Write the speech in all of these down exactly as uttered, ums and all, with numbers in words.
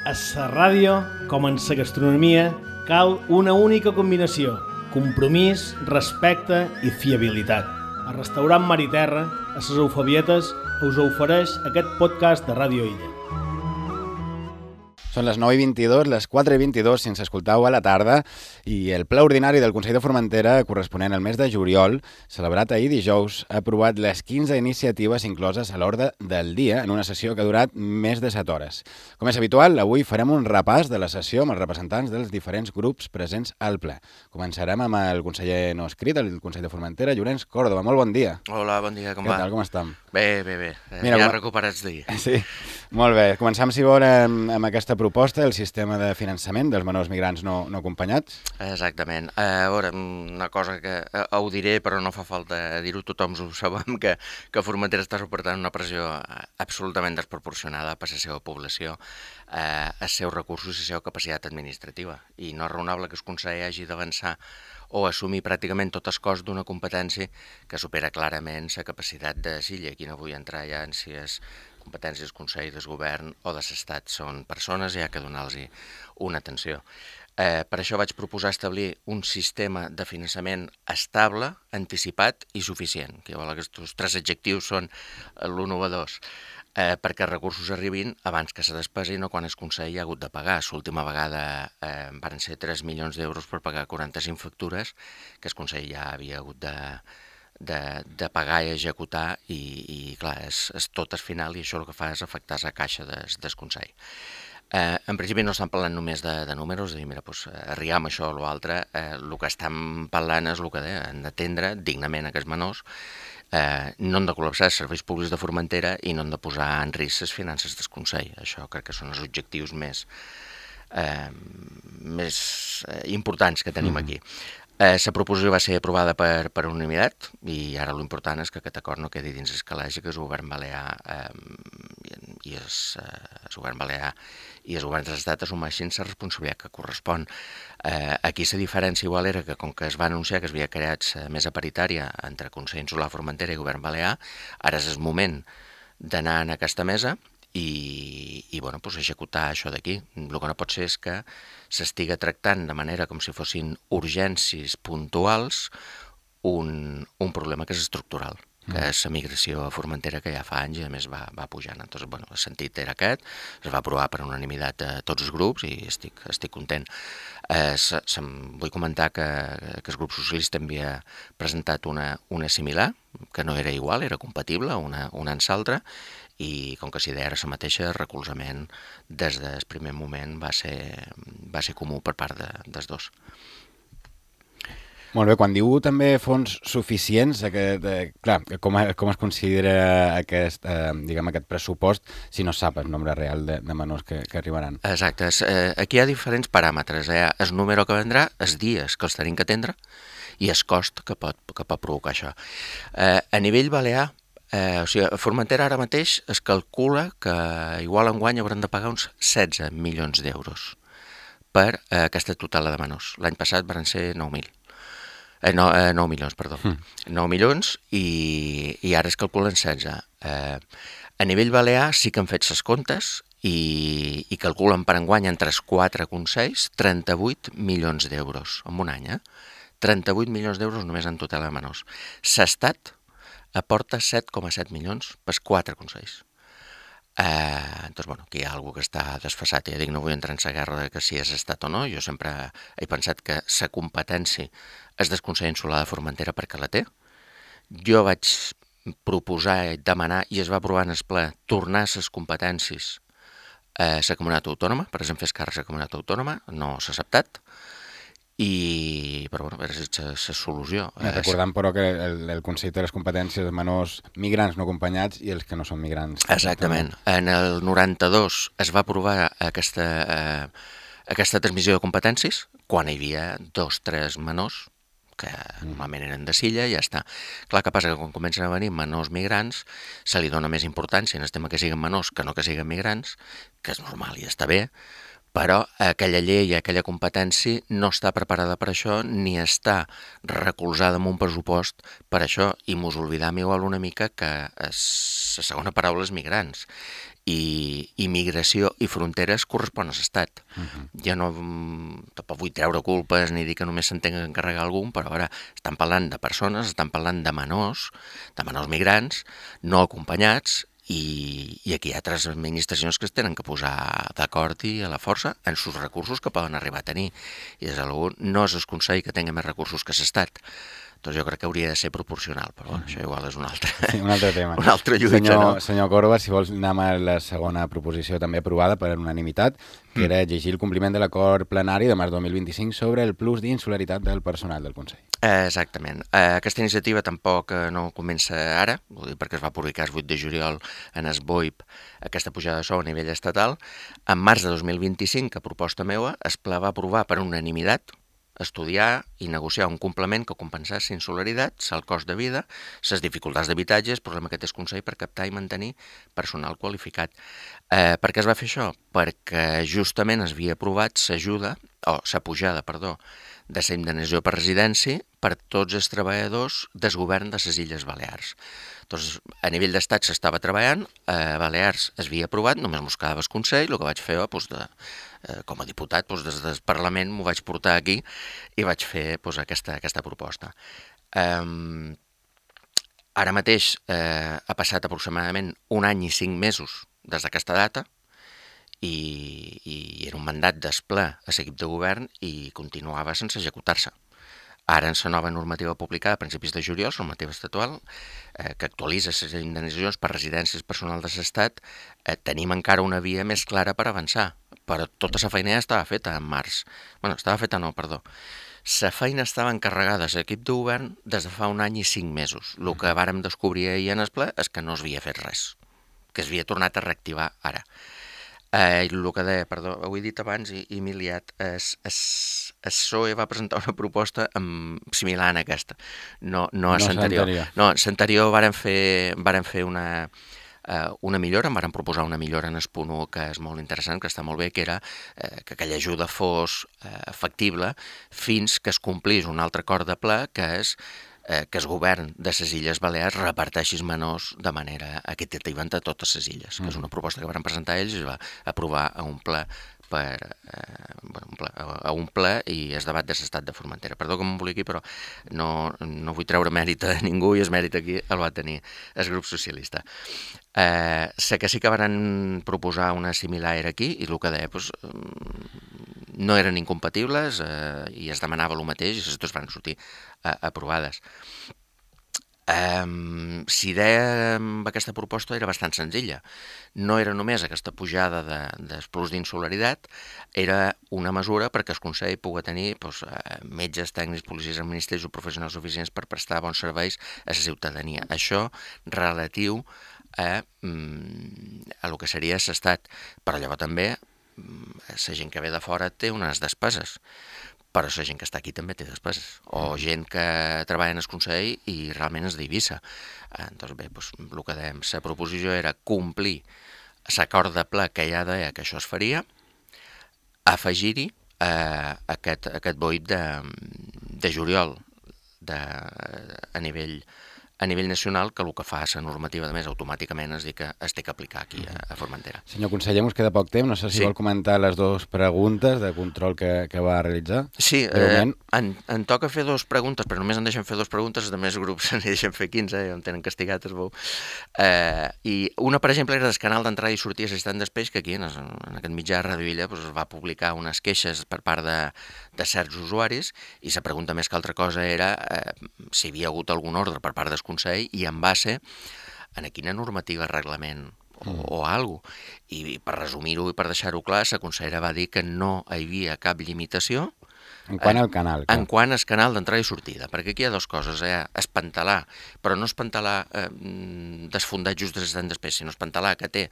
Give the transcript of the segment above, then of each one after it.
A la ràdio, com en la gastronomia, cal una única combinació: compromís, respecte i fiabilitat. El restaurant Mar i Terra, a les Eufabietes, us ofereix aquest podcast de Ràdio Illa. Són les nou i vint-i-dos, les quatre i vint-i-dos si ens escoltau a la tarda, i el ple ordinari del Consell de Formentera, corresponent al mes de juliol, celebrat ahir dijous, ha aprovat les quinze iniciatives incloses a l'ordre del dia en una sessió que ha durat més de set hores. Com és habitual, avui farem un repàs de la sessió amb els representants dels diferents grups presents al ple. Començarem amb el conseller no escrit, el Consell de Formentera, Llorenç Córdoba. Molt bon dia. Hola, bon dia, com Què va? Què tal, com estem? Bé, bé, bé. Mira, ja com... recuperats d'ahir. Sí, molt bé. Començam, si vol, amb, amb aquesta proposta, el sistema de finançament dels menors migrants no, no acompanyats. Exactament. A veure, una cosa que eh, ho diré, però no fa falta dir-ho, tothom ho sabem, que, que Formentera està suportant una pressió absolutament desproporcionada per la seva població, eh, els seus recursos i la seva capacitat administrativa. I no és raonable que el Consell hagi d'avançar o assumir pràcticament tot el cost d'una competència que supera clarament la capacitat de Silla. Aquí no vull entrar ja en si és competències del Consell, del Govern o de l'Estat. Són persones i hi ha que donar-los una atenció. Eh, per això vaig proposar establir un sistema de finançament estable, anticipat i suficient, que aquests tres adjectius són l'innovadors, eh, perquè els recursos arribin abans que se despesin o quan el Consell ha hagut de pagar. L'última vegada eh, van ser tres milions d'euros per pagar quaranta-cinc factures que el Consell ja havia hagut de, de, de pagar i executar i, i clar, és, és tot el final i això el que fa és afectar la caixa des, del Consell. Eh, en principi no estan parlant només de, de números, de dir, mira, doncs, arribam això o l'altre, eh, el que estan parlant és el que deia, han d'atendre dignament aquests menors, eh, no han de col·lapsar els serveis públics de Formentera i no han de posar en risc les finances del Consell. Això crec que són els objectius més, eh, més eh, importants que tenim mm. aquí. La eh, proposició va ser aprovada per, per unanimitat i ara l'important és que aquest acord no quedi dins el calaix i que el govern balear eh, i el, eh, el govern balear i els governs de l'Estat assumeixin la responsabilitat que correspon. Eh, aquí la diferència igual era que com que es va anunciar que es havia creat la mesa paritària entre Consell Insular Formentera i Govern Balear, ara és el moment d'anar en aquesta mesa i, i bueno, doncs executar això d'aquí. El que no pot ser és que s'estiga tractant de manera com si fossin urgències puntuals un, un problema que és estructural, que mm. és la migració a Formentera, que ja fa anys i a més va, va pujant. Entonces, bueno, el sentit era aquest, es va aprovar per unanimitat a tots els grups i estic, estic content. Eh, se, se, vull comentar que, que el grup socialista havia presentat una, una similar, que no era igual, era compatible una, una amb l'altra, i com que si deia la mateixa, el recolzament des del primer moment va ser, va ser comú per part de, dels dos. Molt bé, quan diu també fons suficients, aquest, eh, clar, com, com es considera aquest, eh, diguem, aquest pressupost si no sap el nombre real de, de menors que, que arribaran? Exacte, eh, aquí hi ha diferents paràmetres, eh? El número que vendrà, els dies que els tenim que atendre i el cost que pot, que pot provocar això. Eh, a nivell balear, Eh, o sigui, a Formentera ara mateix es calcula que igual enguany hauran de pagar uns setze milions d'euros per eh, aquesta tutela de menors. L'any passat van ser nou mil. Eh, no, eh, nou milions, perdó. Mm. nou milions i, i ara es calculen setze. Eh, a nivell balear sí que han fet ses comptes i, i calculen per enguany entre els quatre consells trenta-vuit milions d'euros en un any. Eh? trenta-vuit milions d'euros només en tutela de menors. S'estat aporta set coma set milions pels quatre consells. Eh, doncs, bueno, aquí hi ha algú que està desfasat. Ja dic, no vull entrar en la guerra de que si és estat o no. Jo sempre he pensat que la competència és del Consell Insular de Formentera perquè la té. Jo vaig proposar, demanar, i es va aprovar en el ple, tornar les competències a la comunitat autònoma, per exemple, fer càrrec a la comunitat autònoma, no s'ha acceptat. I, però bueno, és la solució. Recordant, però, que el, el Consell té les competències de menors migrants no acompanyats i els que no són migrants. Exactament. En el noranta-dos es va aprovar aquesta, eh, aquesta transmissió de competències quan hi havia dos, tres menors que normalment eren de Silla i ja està. Clar, que passa que quan comencen a venir menors migrants se li dona més importància en el tema que siguin menors que no que siguin migrants, que és normal i està bé, però aquella llei i aquella competència no està preparada per això ni està recolzada en un pressupost per això, i mos oblidam igual una mica que la segona paraula és migrants i immigració i fronteres correspon a l'Estat. Uh-huh. Jo no tampoc vull treure culpes ni dir que només se'n tinga que encarregar algun, però ara estan parlant de persones, estan parlant de menors, de menors migrants, no acompanyats, i, i aquí hi ha altres administracions que es tenen que posar d'acord i a la força en els recursos que poden arribar a tenir. I des de l'algú no és el Consell que tingui més recursos que l'Estat. Doncs jo crec que hauria de ser proporcional, però bueno, això igual és un altre, sí, un altre tema. Un altre lluita, senyor, no? Senyor Corba, si vols anem a la segona proposició també aprovada per unanimitat, que mm. era exigir el compliment de l'acord plenari de març dos mil vint-i-cinc sobre el plus d'insularitat del personal del Consell. Eh, exactament. Eh, aquesta iniciativa tampoc eh, no comença ara, vull dir, perquè es va publicar el vuit de juliol en el B O I P aquesta pujada de sou a nivell estatal. En març de dos mil vint-i-cinc, a proposta meva, es va aprovar per unanimitat estudiar i negociar un complement que compensés insolidaritats, el cost de vida, les dificultats d'habitatge, el problema que té el Consell per captar i mantenir personal qualificat. Eh, per què es va fer això? Perquè justament es havia aprovat l'ajuda, o la pujada, perdó, de la indemnització per residència per tots els treballadors del govern de les Illes Balears. Doncs a nivell d'estat s'estava treballant, a Balears es havia aprovat, només mos quedava el Consell, el que vaig fer doncs, de, eh, com a diputat, doncs, des del Parlament m'ho vaig portar aquí i vaig fer doncs, aquesta, aquesta proposta. Um, ara mateix eh, ha passat aproximadament un any i cinc mesos des d'aquesta data i, i era un mandat d'esplè a l'equip de govern i continuava sense executar-se. Ara, en la nova normativa publicada a principis de juliol, la normativa estatual, eh, que actualitza les indemnitzacions per residències personal de l'Estat, eh, tenim encara una via més clara per avançar, però tota la feina ja estava feta en març. Bueno, estava feta no, perdó. La feina estava encarregada a l'equip de govern des de fa un any i cinc mesos. El que vàrem descobrir ahir en el ple és que no s'havia fet res, que s'havia tornat a reactivar ara. Eh, el que deia, perdó, ho he dit abans i, i m'he liat, es, es, el P S O E va presentar una proposta amb, similar a aquesta, no, no a no l'anterior. No, a l'anterior varen fer, varen fer una, uh, una millora, em varen proposar una millora en el punt u que és molt interessant, que està molt bé, que era uh, que aquella ajuda fos uh, factible fins que es complís un altre acord de ple, que és eh, que el govern de les Illes Balears reparteixi els menors de manera equitativa entre totes les illes, mm. que és una proposta que van presentar ells i es va aprovar a un ple per, eh, bueno, un ple, a un ple i es debat de l'estat de Formentera. Perdó que m'emboliqui, però no, no vull treure mèrit a ningú i el mèrit aquí el va tenir el grup socialista. Eh, sé que sí que van proposar una similar aquí i el que deia, doncs, no eren incompatibles eh, i es demanava el mateix i les dues van sortir eh, aprovades. Um, si dèiem aquesta proposta era bastant senzilla. No era només aquesta pujada de, del plus d'insolidaritat, era una mesura perquè el Consell pugui tenir doncs, metges, tècnics, policies, administratius o professionals suficients per prestar bons serveis a la ciutadania. Això relatiu a, a el que seria l'estat. Però llavors també la gent que ve de fora té unes despeses, però la gent que està aquí també té despeses, o gent que treballa en el Consell i realment és d'Eivissa. Doncs bé, doncs, el que dèiem, la proposició era complir l'acord de ple que ja deia que això es faria, afegir-hi eh, aquest, aquest B O I P de, de juliol de, a nivell a nivell nacional, que el que fa la normativa de més automàticament és dir que es té que aplicar aquí a, a Formentera. Senyor conseller, ens queda poc temps, no sé si sí. vol comentar les dues preguntes de control que, que va realitzar. Sí, eh, en, en toca fer dues preguntes, però només en deixen fer dues preguntes, els altres grups en deixen fer quinze, eh, em tenen castigat, es veu. Eh, I una, per exemple, era del canal d'entrada i sortida assistent d'Espeix, que aquí, en, en aquest mitjà de Radio Illa, doncs, es va publicar unes queixes per part de, de certs usuaris, i la pregunta més que altra cosa era eh, si hi havia hagut algun ordre per part del Consell i en base a quina normativa, reglament o, mm. o alguna cosa. I per resumir-ho i per deixar-ho clar, la consellera va dir que no hi havia cap limitació en quant al canal. En quant al canal d'entrada i sortida, perquè aquí hi ha dues coses, eh? Espantalar, però no espantalar eh, desfondat just de l'assistent d'Espeix, sinó espantalar que té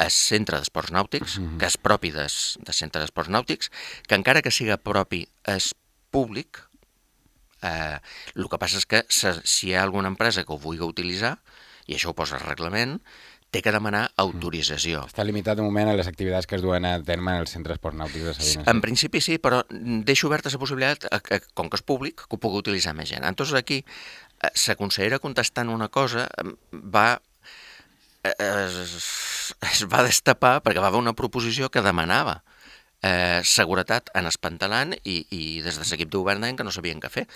el centre d'esports nàutics, mm-hmm. que és propi del de centre d'esports nàutics, que encara que siga propi és públic. Eh, el que passa és que si hi ha alguna empresa que ho vulgui utilitzar, i això ho posa el reglament, té que demanar autorització. Està limitat de moment a les activitats que es duen a terme en el centre d'esports nàutics de Sabines. En principi sí, però deixo oberta la possibilitat, que, com que és públic, que ho pugui utilitzar més gent. Entonces aquí, la consellera contestant una cosa va es, es va destapar perquè va haver una proposició que demanava eh, seguretat en Espantalant i, i des de l'equip de govern deien que no sabien què fer.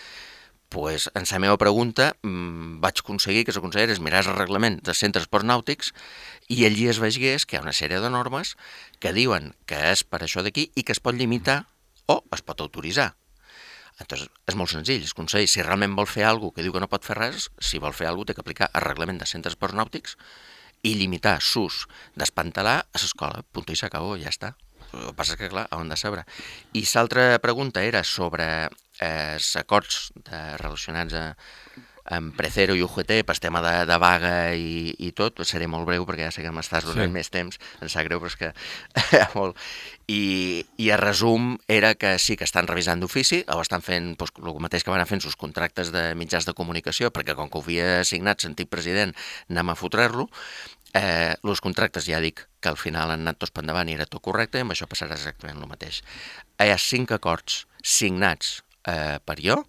Pues, en la meva pregunta mmm, vaig aconseguir que la consellera es mirés el reglament dels centres esports nàutics i allí es veigués que hi ha una sèrie de normes que diuen que és per això d'aquí i que es pot limitar o es pot autoritzar. Entonces, és molt senzill, el Consell, si realment vol fer alguna cosa que diu que no pot fer res, si vol fer alguna cosa té que aplicar el reglament de centres esports nàutics i limitar l'ús d'espantalar a l'escola, punt i s'acabó, ja està. El que passa és que, clar, on de saber. I l'altra pregunta era sobre eh, els acords de, relacionats a, amb Precero i U G T per tema de, de vaga i, i tot. Seré molt breu perquè ja sé que m'estàs donant sí. més temps, em sap greu, però és que molt. I, I el resum era que sí que estan revisant d'ofici, o estan fent doncs, el mateix que van fent els contractes de mitjans de comunicació, perquè com que ho havia signat l'antic president, anem a fotrer-lo. Eh, els contractes, ja dic, que al final han anat tots per endavant i era tot correcte, i amb això passarà exactament el mateix. Hi ha cinc acords signats eh, per jo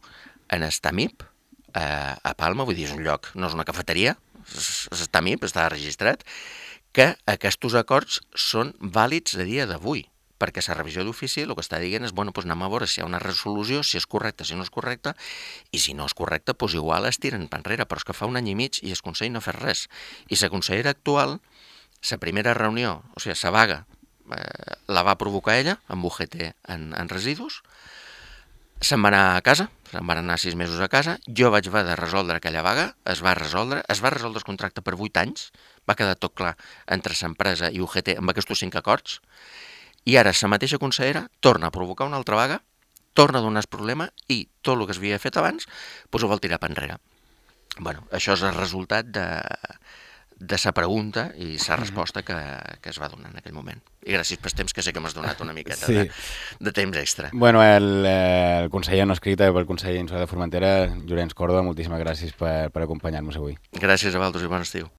en el TAMIP, eh, a Palma, vull dir, és un lloc, no és una cafeteria, és el TAMIP, està registrat, que aquests acords són vàlids a dia d'avui, perquè la revisió d'ofici el que està dient és, bueno, doncs anem a veure si hi ha una resolució, si és correcta, si no és correcta, i si no és correcta, doncs igual es tiren per enrere, però és que fa un any i mig i el Consell no ha fet res. I la consellera actual, la primera reunió, o sigui, la vaga, eh, la va provocar ella, amb U G T en, en residus, se'n va anar a casa, se'n van anar sis mesos a casa, jo vaig haver de resoldre aquella vaga, es va resoldre, es va resoldre el contracte per vuit anys, va quedar tot clar entre l'empresa i U G T amb aquests cinc acords, i ara la mateixa consellera torna a provocar una altra vaga, torna a donar el problema i tot el que s'havia fet abans doncs ho vol tirar per enrere. Bueno, això és el resultat de, de sa pregunta i sa resposta que, que es va donar en aquell moment. I gràcies pel temps, que sé que m'has donat una miqueta sí. de, de temps extra. Bueno, el, el conseller no escrit pel conseller Insular de Formentera, Llorenç Córdoba, moltíssimes gràcies per, per acompanyar-nos avui. Gràcies a vosaltres i bon estiu.